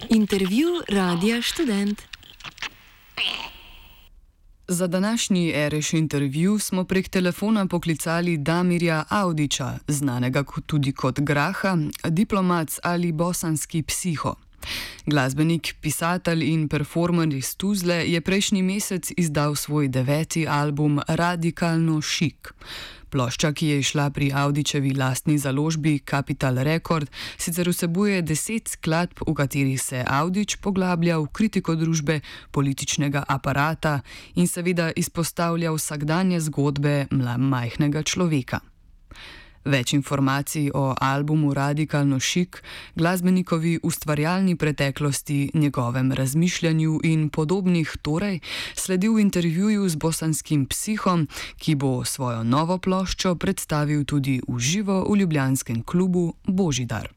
Intervju Radia Študent. Za današnji Ereš intervju smo prek telefona poklicali Damirja Audića, znanega tudi kot Graha, diplomac ali bosanski psiho. Glasbenik, pisatelj in performer iz Tuzle je prejšnji mesec izdal svoj 9. album Radikalno šik. Plošča, ki je izšla pri Audičevi lastni založbi Capital Record, sicer vsebuje 10 skladb, v katerih se Audič poglablja v kritiko družbe, političnega aparata in seveda izpostavlja vsakdanje zgodbe majhnega človeka. Več informacij o albumu Radikalno šik, glasbenikovi ustvarjalni preteklosti, njegovem razmišljanju in podobnih torej sledi v intervjuju z bosanskim psihom, ki bo svojo novo ploščo predstavil tudi v živo v ljubljanskem klubu Božidar.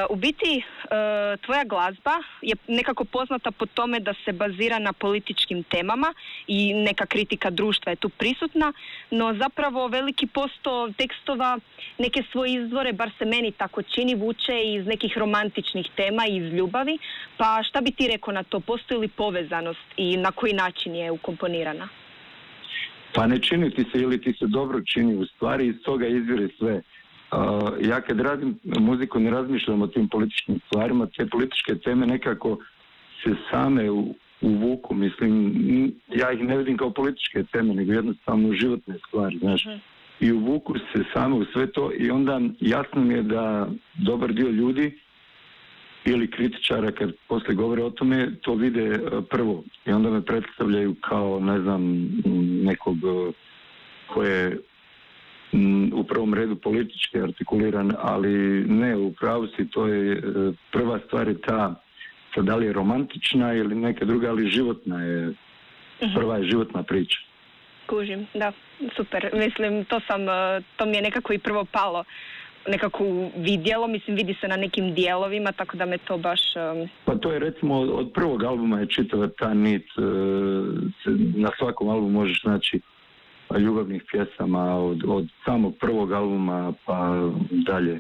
U biti, tvoja glazba je nekako poznata po tome da se bazira na političkim temama i neka kritika društva je tu prisutna, no zapravo veliki posto tekstova neke svoje izvore, bar se meni tako čini, vuče iz nekih romantičnih tema i iz ljubavi, pa šta bi ti rekao na to? Postoji li povezanost i na koji način je ukomponirana? Pa ne čini ti se ili ti se dobro čini, u stvari iz toga izvire sve. Ja kad radim muziku ne razmišljam o tim političkim stvarima, te političke teme nekako se same uvuku, mislim, ja ih ne vidim kao političke teme, nego jednostavno životne stvari, znaš. I uvuku se same u sve to i onda jasno mi je da dobar dio ljudi ili kritičara kad poslije govore o tome, to vide prvo i onda me predstavljaju kao, ne znam, nekog koje u prvom redu politički artikuliran, ali ne, u pravu si, to je prva stvar je ta da li je romantična ili neka druga, ali životna je, prva je životna priča. Kužim, da, super. Mislim, to mi je nekako i prvo palo, nekako vidjelo, mislim, vidi se na nekim dijelovima, tako da me to baš... Pa to je recimo od prvog albuma je čitava ta nit, na svakom albumu možeš naći ljubavnih pjesama od samog prvog albuma pa dalje.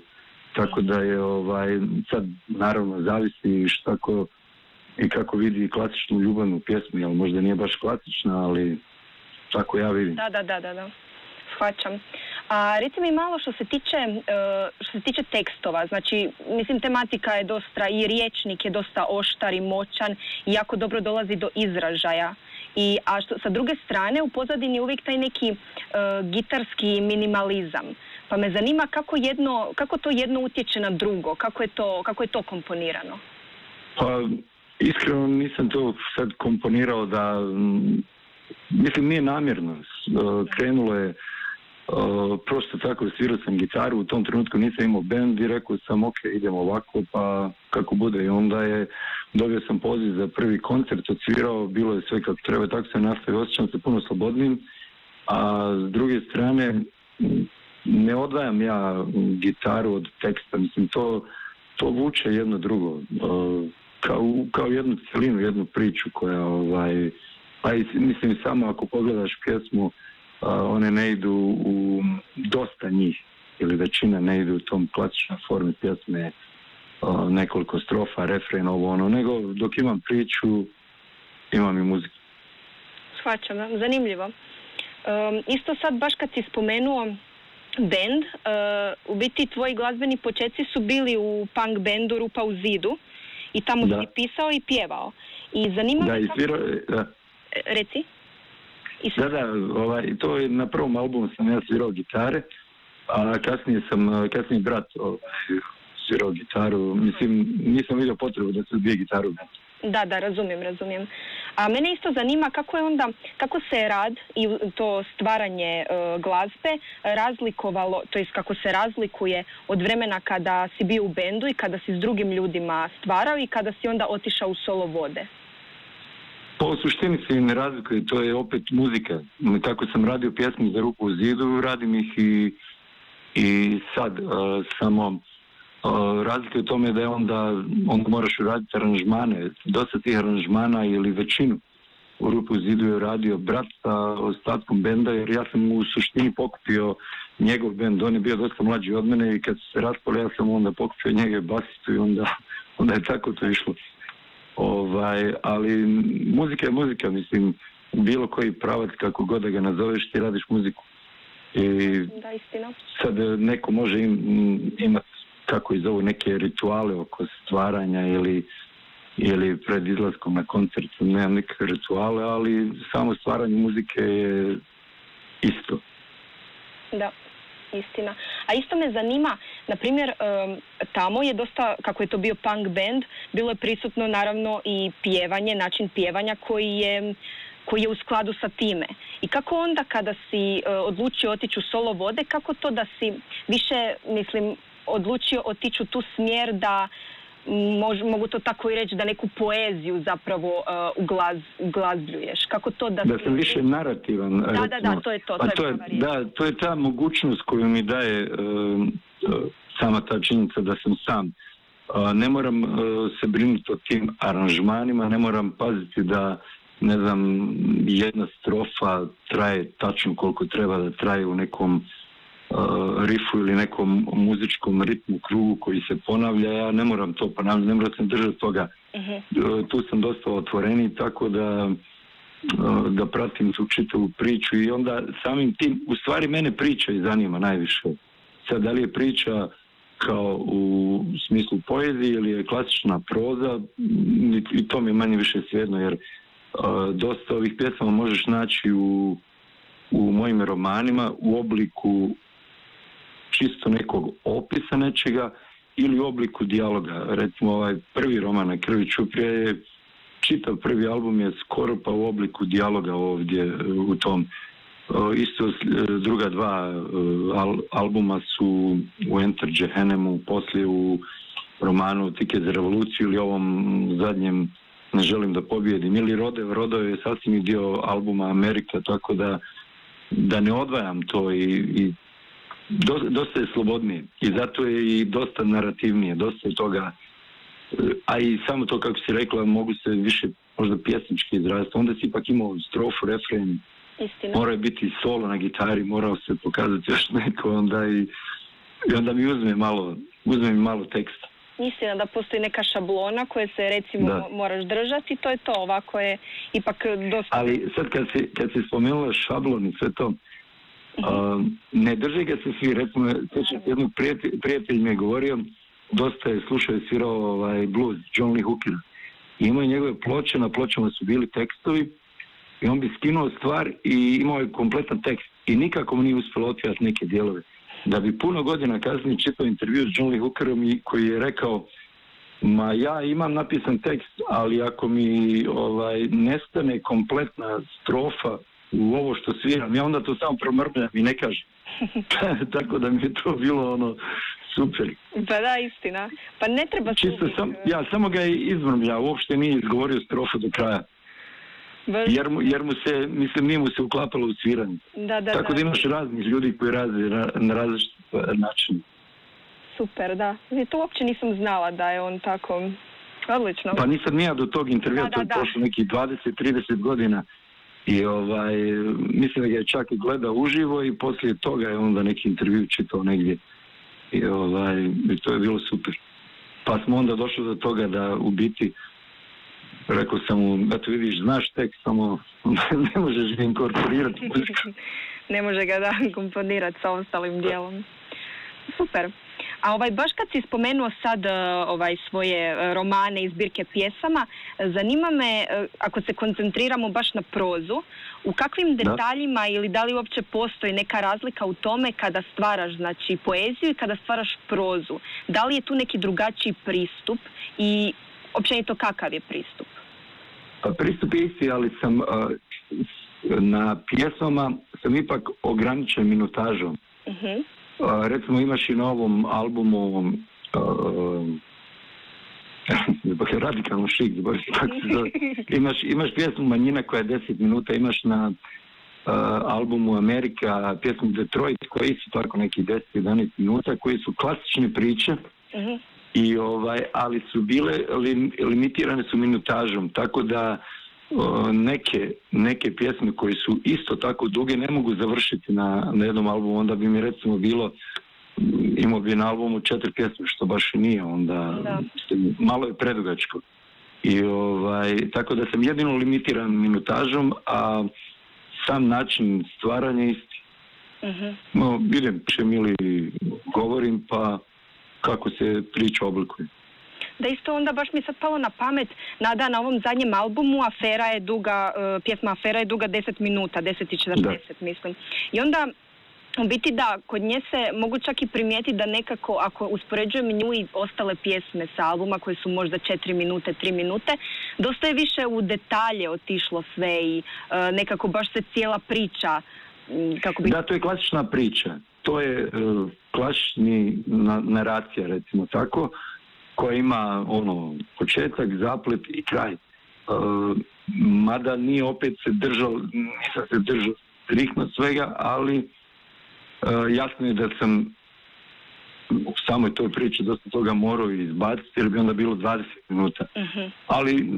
Tako da je sad naravno zavisi što i kako vidi klasičnu ljubavnu pjesmu, jel možda nije baš klasična, ali tako ja vidim. Da. Shvaćam. A reci mi malo što se tiče tekstova, znači mislim tematika je dosta i riječnik je dosta oštar i moćan i jako dobro dolazi do izražaja. Sa druge strane u pozadini je uvijek taj neki gitarski minimalizam. Pa me zanima kako to jedno utječe na drugo, kako je to komponirano? Pa iskreno nisam to sad komponirao da, mislim nije namjerno, krenulo je prosto tako, svirao sam gitaru, u tom trenutku nisam imao bend i rekao sam ok, idemo ovako pa kako bude i onda dobio sam poziv za prvi koncert, odsvirao, bilo je sve kako treba, tako se nastavio, osjećam se puno slobodnim, a s druge strane ne odvajam ja gitaru od teksta, mislim to vuče jedno drugo, kao jednu celinu, jednu priču koja pa mislim samo ako pogledaš pjesmu, one ne idu u dosta njih ili većina ne idu u tom klasičnoj formi pjesme, nekoliko strofa, refren, nego dok imam priču, imam i muziku. Shvaćam, zanimljivo. Isto sad baš kad si spomenuo band, u biti tvoji glazbeni počeci su bili u punk bandu Rupa u zidu i tamo si pisao i pjevao. I zanima me kako... Reci. To je na prvom albumu sam ja svirao gitare, a kasnije brat svirao gitaru, mislim nisam vidio potrebu da se dvije gitaru. Da, razumijem. A mene isto zanima kako se rad i to stvaranje glazbe razlikovalo, to jest kako se razlikuje od vremena kada si bio u bendu i kada si s drugim ljudima stvarao i kada si onda otišao u solo vode. Pa u suštini se ne razlikuje, to je opet muzika. Kako sam radio pjesme za Rupu u zidu, radim ih i sad. Samo razlika je u tome da je onda moraš raditi aranžmane. Dosta tih aranžmana ili većinu u Rupu u zidu je radio brat sa ostatkom benda, jer ja sam u suštini pokupio njegov bend. On je bio dosta mlađi od mene i kad se raspali ja sam onda pokupio njegov basistu i onda onda je tako to išlo. Ali muzika je muzika, mislim, bilo koji pravac, kako god da ga nazoveš, ti radiš muziku. I da, istina. Sad neko može imati, kako iz zovu, neke rituale oko stvaranja ili pred izlaskom na koncert, nemam nekakve rituale, ali samo stvaranje muzike je isto. Da, istina. A isto me zanima, na primjer, tamo je dosta, kako je to bio punk band, bilo je prisutno naravno i pjevanje, način pjevanja koji je u skladu sa time. I kako onda kada si odlučio otići u solo vode, kako to da si više, mislim, odlučio otići u tu smjer da mogu to tako i reći, da neku poeziju zapravo uglazbljuješ? Kako to da sam više narativan. Da, to je to. To je ta mogućnost koju mi daje sama ta činjenica da sam sam. Ne moram se brinuti o tim aranžmanima, ne moram paziti da, ne znam, jedna strofa traje tačno koliko treba da traje u nekom rifu ili nekom muzičkom ritmu, krugu koji se ponavlja. Ja ne moram to ponavljati, ne moram se držati toga. Tu sam dosta otvoreniji, tako da pratim tu čitavu priču i onda samim tim, u stvari mene priča i zanima najviše. Sad, da li je priča kao u smislu poezije ili je klasična proza, i to mi je manje više svejedno, jer dosta ovih pjesama možeš naći u mojim romanima u obliku čisto nekog opisa nečega ili u obliku dijaloga. Recimo ovaj prvi roman Na krvi ćuprije je, čitav prvi album je skoro pa u obliku dijaloga ovdje u tom. Isto druga dva albuma su u Enter Jehennemu, poslije u romanu Tiket za revoluciju ili ovom zadnjem Ne želim da pobijedim, ili Rodo je sasvim dio albuma Amerika, tako da ne odvajam to i dosta je slobodnije i zato je i dosta narativnije, dosta je toga, a i samo to, kako si rekla, mogu se više možda pjesnički izraziti, onda si ipak imao strofu, refren, mora biti solo na gitari, morao se pokazati još neko, onda i onda mi uzme malo teksta. Istina da postoji neka šablona koje se recimo moraš držati, to je to, ovako je ipak dosta... Ali sad kad si spomenula šablon i sve to, ne drže ga se svi, recimo, jednog prijatelj mi je govorio, dosta je slušao i svirao blues, John Lee Hooker. I imao je njegove ploče, na pločama su bili tekstovi i on bi skinuo stvar i imao je kompletan tekst i nikako mu nije uspjelo otvirati neke dijelove. Da bi puno godina kasnije čitao intervju s John Lee Hookerom koji je rekao, ma ja imam napisan tekst, ali ako mi nestane kompletna strofa u ovo što sviram, ja onda to samo promrmljam i ne kažem. Tako da mi je to bilo super. Pa da, istina. Pa ne treba čisto ja samo ga je izmrmljao, uopšte nije izgovorio strofu do kraja. Jer mu se, mislim, nije mu se uklapalo u sviranje. Tako da imaš raznih ljudi koji rade na različit način. Super, da. To uopće nisam znala da je on tako odlično. Pa nisam nija do tog intervjua, to je prošlo nekih 20-30 godina. I mislim da ga je čak i gledao uživo i poslije toga je onda neki intervju čitao negdje. I to je bilo super. Pa smo onda došli do toga da u biti rekao sam mu, eto vidiš, znaš tekst, samo ne možeš ga inkorporirati. Ne može ga komponirati sa ostalim dijelom. Super. A baš kad si spomenuo sad svoje romane i zbirke pjesama, zanima me, ako se koncentriramo baš na prozu, u kakvim detaljima ili da li uopće postoji neka razlika u tome kada stvaraš, znači, poeziju i kada stvaraš prozu? Da li je tu neki drugačiji pristup i općenito kakav je pristup? Pristup je isti, ali sam na pjesmama sam ipak ograničen minutažom. Recimo imaš i na ovom albumu radikalno šik, imaš pjesmu Manjina koja je 10 minuta, imaš na albumu Amerika pjesmu Detroit koja je isto tako neki 10-11 minuta, koji su klasične priče. I ali su bile limitirane su minutažom, tako da neke pjesme koje su isto tako duge ne mogu završiti na jednom albumu, onda bi mi recimo bilo imao bi na albumu 4 pjesme, što baš i nije, onda malo je predugačko. I tako da sam jedino limitiran minutažom, a sam način stvaranja isti. Vidim čem ili govorim, pa kako se priča oblikuje. Da, isto onda baš mi sad palo na pamet, Nada, na ovom zadnjem albumu Afera je duga, pjesma Afera je duga 10 minuta, 10 i 40 mislim. I onda u biti da, kod nje se mogu čak i primijetiti da nekako, ako uspoređujem nju i ostale pjesme sa albuma koje su možda 4 minute, 3 minute, dosta je više u detalje otišlo sve i nekako baš se cijela priča, kako bi... Da, to je klasična priča. To je klasični naracija, recimo tako, koja ima početak, zaplet i kraj. Mada nije opet nisam se držao striktno svega, ali jasno je da sam u samoj toj priči dosta toga morao izbaciti, jer bi onda bilo 20 minuta. Ali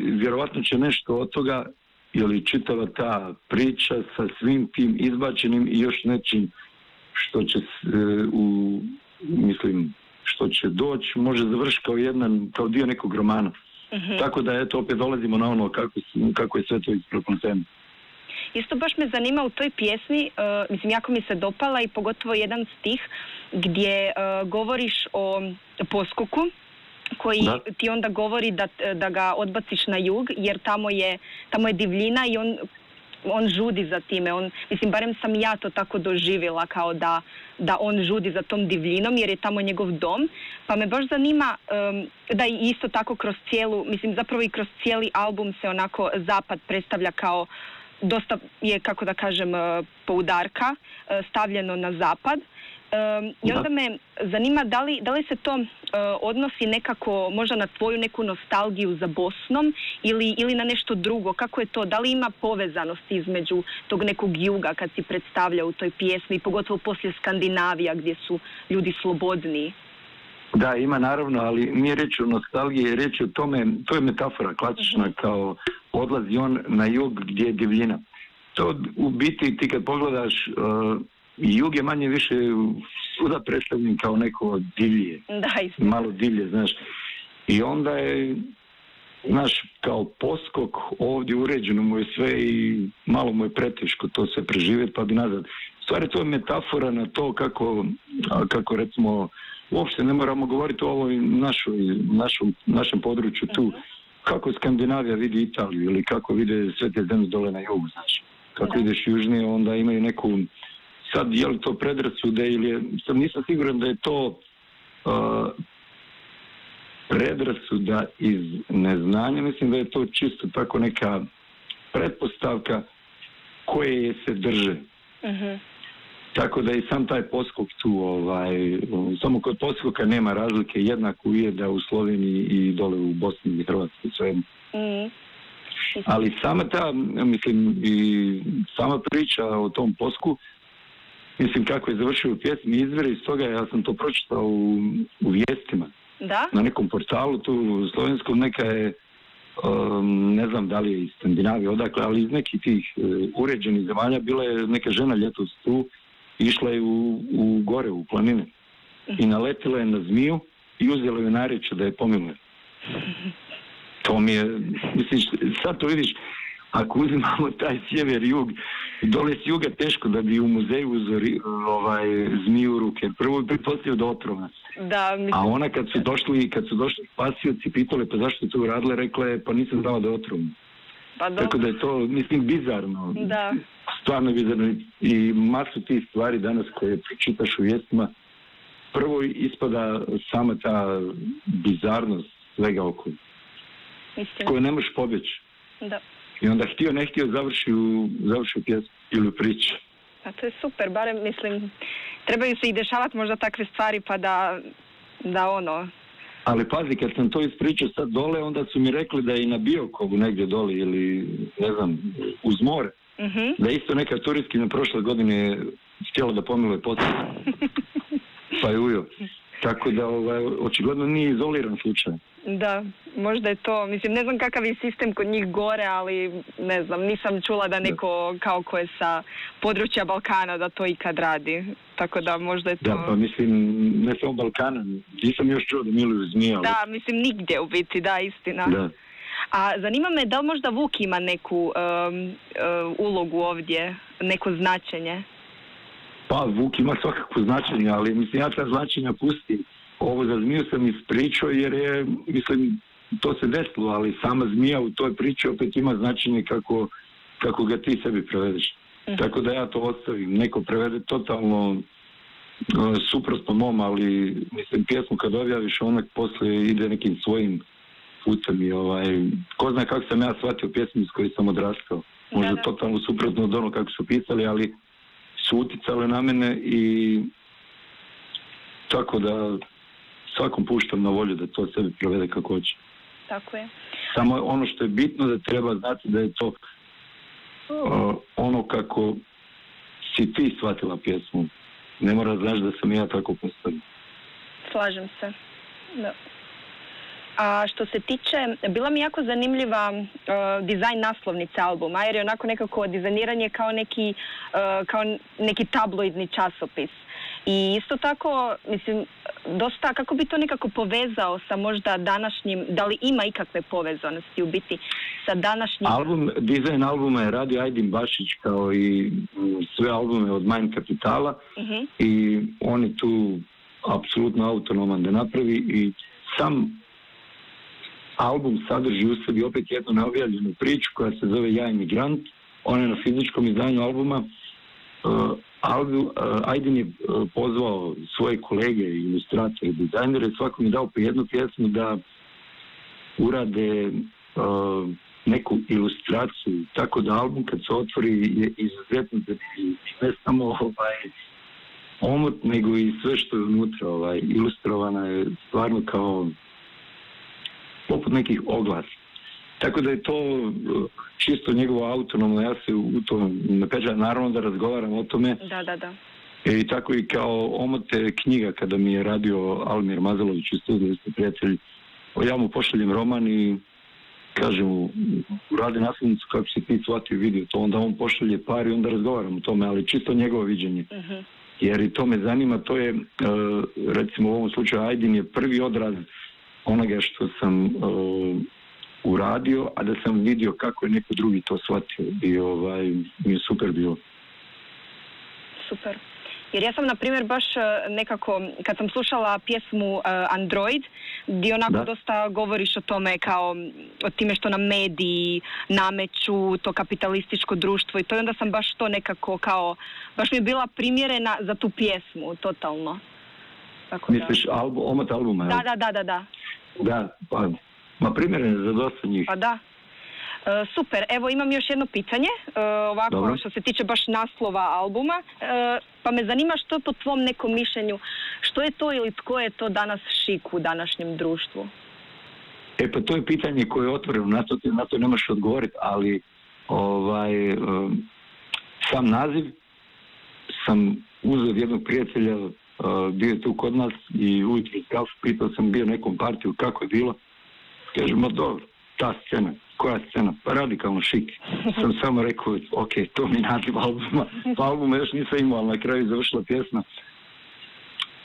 vjerovatno će nešto od toga, ili čitava ta priča sa svim tim izbačenim i još nečim što će što će doći, može završiti kao dio nekog romana. Tako da eto opet dolazimo na ono kako je sve to isprepleteno. Isto baš me zanima u toj pjesmi, jako mi se dopala i pogotovo jedan stih gdje govoriš o poskoku koji ti onda govori da ga odbaciš na jug jer tamo je divljina i on žudi za time. Barem sam ja to tako doživjela kao da on žudi za tom divljinom jer je tamo njegov dom. Pa me baš zanima da i isto tako kroz zapravo i kroz cijeli album se onako zapad predstavlja kao dosta je, kako da kažem, poudarka stavljeno na zapad. I onda me zanima da li se to odnosi nekako možda na tvoju neku nostalgiju za Bosnom ili na nešto drugo. Kako je to? Da li ima povezanosti između tog nekog juga kad si predstavlja u toj pjesmi, pogotovo poslije Skandinavija gdje su ljudi slobodniji? Da, ima naravno, ali nije reč o nostalgiji, reč o tome, to je metafora klasična kao odlazi on na jug gdje je divljina. To u biti ti kad pogledaš, jug je manje više svuda predstavljen kao neko divlje, malo divlje, znaš. I onda je, kao poskok ovdje uređeno mu je sve i malo mu je preteško to sve preživjeti pa bi nazad. Stvari to je metafora na to kako recimo, uopšte ne moramo govoriti o ovoj našem području tu, kako Skandinavija vidi Italiju ili kako vide sve te zemlje dole na jugu, znači. Kako ideš južnije, onda imaju neku, sad je li to predrasude ili sad nisam siguran da je to predrasuda iz neznanja, mislim da je to čisto tako neka pretpostavka koje se drže. Tako da i sam taj poskok tu, samo kod poskoka nema razlike, jednako ujeda u Sloveniji i dole u Bosni i Hrvatskoj, sve. Ali sama sama priča o tom posku, kako je završio u pjesmi, izvire iz toga, ja sam to pročitao u vijestima. Da? Na nekom portalu tu slovenskom, neka je, ne znam da li je iz Skandinavije, odakle, ali iz nekih tih uređenih zemalja bila je neka žena ljetos tu, išla je u gore, u planine. I naletila je na zmiju i uzela je narječje da je pomiluje. To mi je, sad to vidiš, ako uzimamo taj sjever i jug, dole s juga teško da bi u muzeju uzori zmiju u ruke. Prvo bi pretpostavio da otrova. A ona kad su došli spasioci, pitali pa zašto je to uradila, rekla je pa nisam znala da je otrovna. Tako da je to, bizarno. Stvarno bizarno. I masu tih stvari danas koje čitaš u vijestima, prvo ispada sama ta bizarnost svega okolo, koju ne možeš pobjeći. I onda htio, ne htio, završi u pjesmu ili u priču. A to je super, barem trebaju se i dešavati možda takve stvari pa da Ali pazi, kad sam to ispričao sad dole, onda su mi rekli da je i na Biokovu negdje dole ili, ne znam, uz more. Da je isto neka turistkinja prošle godine htjela da pomiluje poslije. Pa je ujo. Tako da, očigledno nije izoliran slučaj. Da, možda je to, mislim, ne znam kakav je sistem kod njih gore, ali ne znam, nisam čula da neko kao ko je sa područja Balkana da to ikad radi, tako da možda je to... Da, pa mislim, ne samo Balkana, nisam još čuo da miluju zmije, ali... Da, mislim, nigdje u biti, da, istina. Da. A zanima me da li možda Vuk ima neku ulogu ovdje, neko značenje? Pa, Vuk ima svakako značenje, ali mislim, ja ta značenja pustim. Ovo za zmiju sam ispričao jer je, mislim, to se desilo, ali sama zmija u toj priči opet ima značenje kako ga ti sebi prevedeš. Tako da ja to ostavim. Neko prevede totalno suprotno mom, ali mislim, pjesmu kad objaviš, ona poslije ide nekim svojim putem i ko zna kako sam ja shvatio pjesmu s kojoj sam odrastao. Možda totalno suprotno od ono kako su pisali, ali su uticale na mene i tako da svakom puštam na volju da to sebi prevede kako hoće. Tako je. Samo ono što je bitno da treba znati da je to ono kako si ti shvatila pjesmu. Ne mora znaš da sam ja tako postavio. Slažem se. Da. A što se tiče, bila mi jako zanimljiva dizajn naslovnice albuma, jer je onako nekako dizajniranje kao neki tabloidni časopis. I isto tako, mislim, dosta, kako bi to nekako povezao sa možda današnjim, da li ima ikakve povezanosti u biti sa današnjim... Dizajn albuma je radio Ajdin Bašić kao i sve albume od Mind Kapitala i on je tu apsolutno autonoman da napravi i sam album sadrži u sebi opet jednu neobjavljenu priču koja se zove Ja imigrant. On je na fizičkom izdanju albuma. Ajdin je pozvao svoje kolege, ilustratore, dizajnere, svakom je dao po jednu pjesmu da urade neku ilustraciju, tako da album kad se otvori je izuzetno zanimljiv. Ne samo omot, nego i sve što je unutra. Ilustrovana je stvarno kao poput nekih oglasa. Tako da je to čisto njegovo autonomno, ja se u to ne pečam, naravno da razgovaram o tome. Da. I tako i kao omote knjiga kada mi je radio Almir Mazalović u studiju, ste prijatelji, ja mu pošaljem roman i kažem mu, radi naslovnicu kako si ti shvatio vidio to, onda on pošalje par i onda razgovaram o tome, ali čisto njegovo viđenje. Jer i to me zanima, to je, recimo u ovom slučaju Ajdin je prvi odraz onoga što sam uradio, a da sam vidio kako je neko drugi to shvatio i mi je super bilo. Super. Jer ja sam, na primjer, baš nekako, kad sam slušala pjesmu Android, gdje onako dosta govoriš o tome kao o time što nam mediji nameću, to kapitalističko društvo i to, i onda sam baš to nekako kao, baš mi je bila primjerena za tu pjesmu, totalno. Tako misliš omot albuma? Da. Da, pa, primjeren za dosta njih. Pa da. Super, evo imam još jedno pitanje, ovako dobro. Što se tiče baš naslova albuma, pa me zanima što po tvom nekom mišljenju, što je to ili tko je to danas šik u današnjem društvu? Pa to je pitanje koje je otvoreno, na to ne možeš odgovoriti, ali sam naziv sam uzeo od jednog prijatelja, bio je tu kod nas i ujutro kafu, pitao sam bio nekom partiju kako je bilo, kažemo dobro, ta scena. Koja scena? Pa radikalno šik. Sam samo rekao, ok, to mi naziv albuma. Pa albuma još nisam imao, ali na kraju završila pjesma.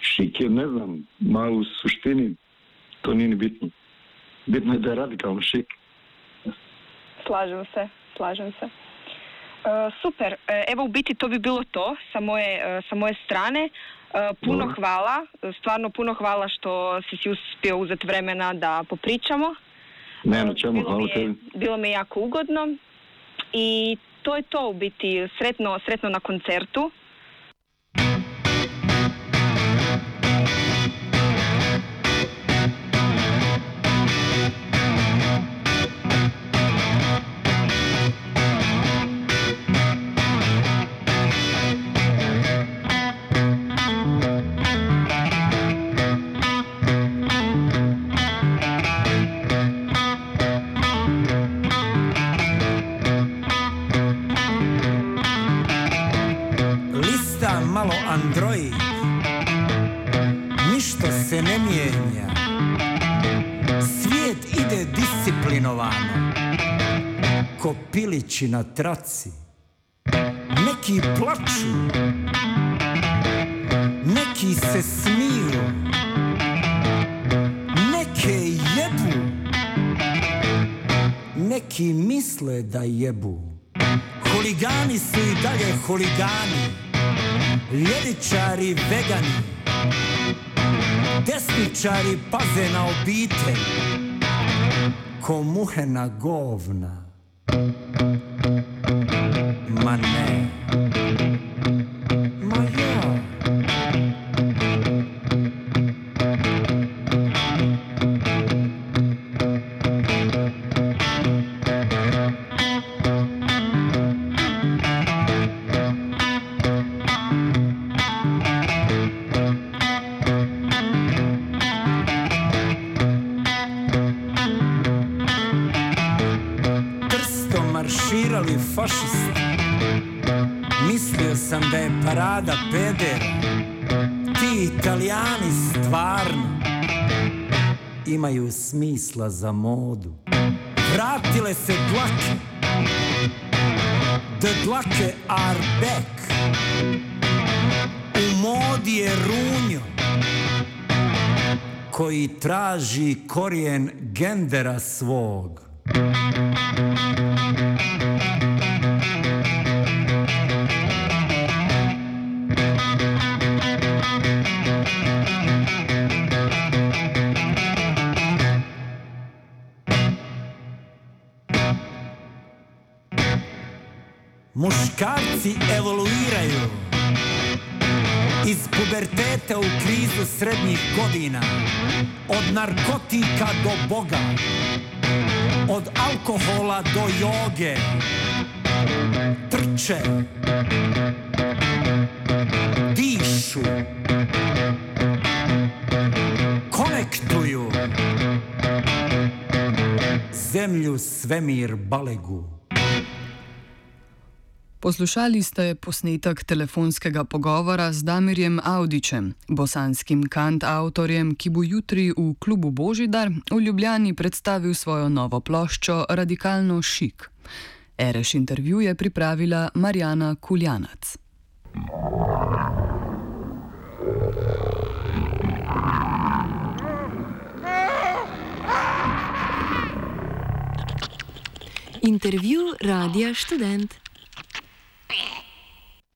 Šik je, ne znam, malo u suštini, to nije ni bitno. Bitno je da je radikalno šik. Slažem se. Super, evo u biti to bi bilo to sa moje strane. Puno hvala, stvarno puno hvala što si uspio uzeti vremena da popričamo. Nema čemu, hvala tebi. Bilo mi je jako ugodno i to je to u biti. Sretno na koncertu. Malo Android, ništa se ne mijenja, svijet ide pilići na traci. Neki plaču, neki se smiju, neke jebu, neki misle da jebu. Huligani su i dalje huligani, ljevičari vegani, desničari paze na obitelj, ko muhe na govna. Ma ne, ma ja. Marširali fašisti, mislio sam da je parada pedera. Ti Italijani stvarno imaju smisla za modu. Vratile se dlake, the dlake are back. U modi je runjo koji traži korijen gendera svog. Muškarci evoluiraju iz puberteta u krizu srednjih godina, od narkotika do Boga, od alkohola do joge. Trče, dišu, konektuju, zemlju, svemir, balegu. Poslušali ste posnetek telefonskega pogovora z Damirjem Avdićem, bosanskim kantavtorjem, ki bo jutri v klubu Božidar v Ljubljani predstavil svojo novo ploščo Radikalno šik. Ereš intervju je pripravila Marjana Kuljanac. Intervju Radia Študent.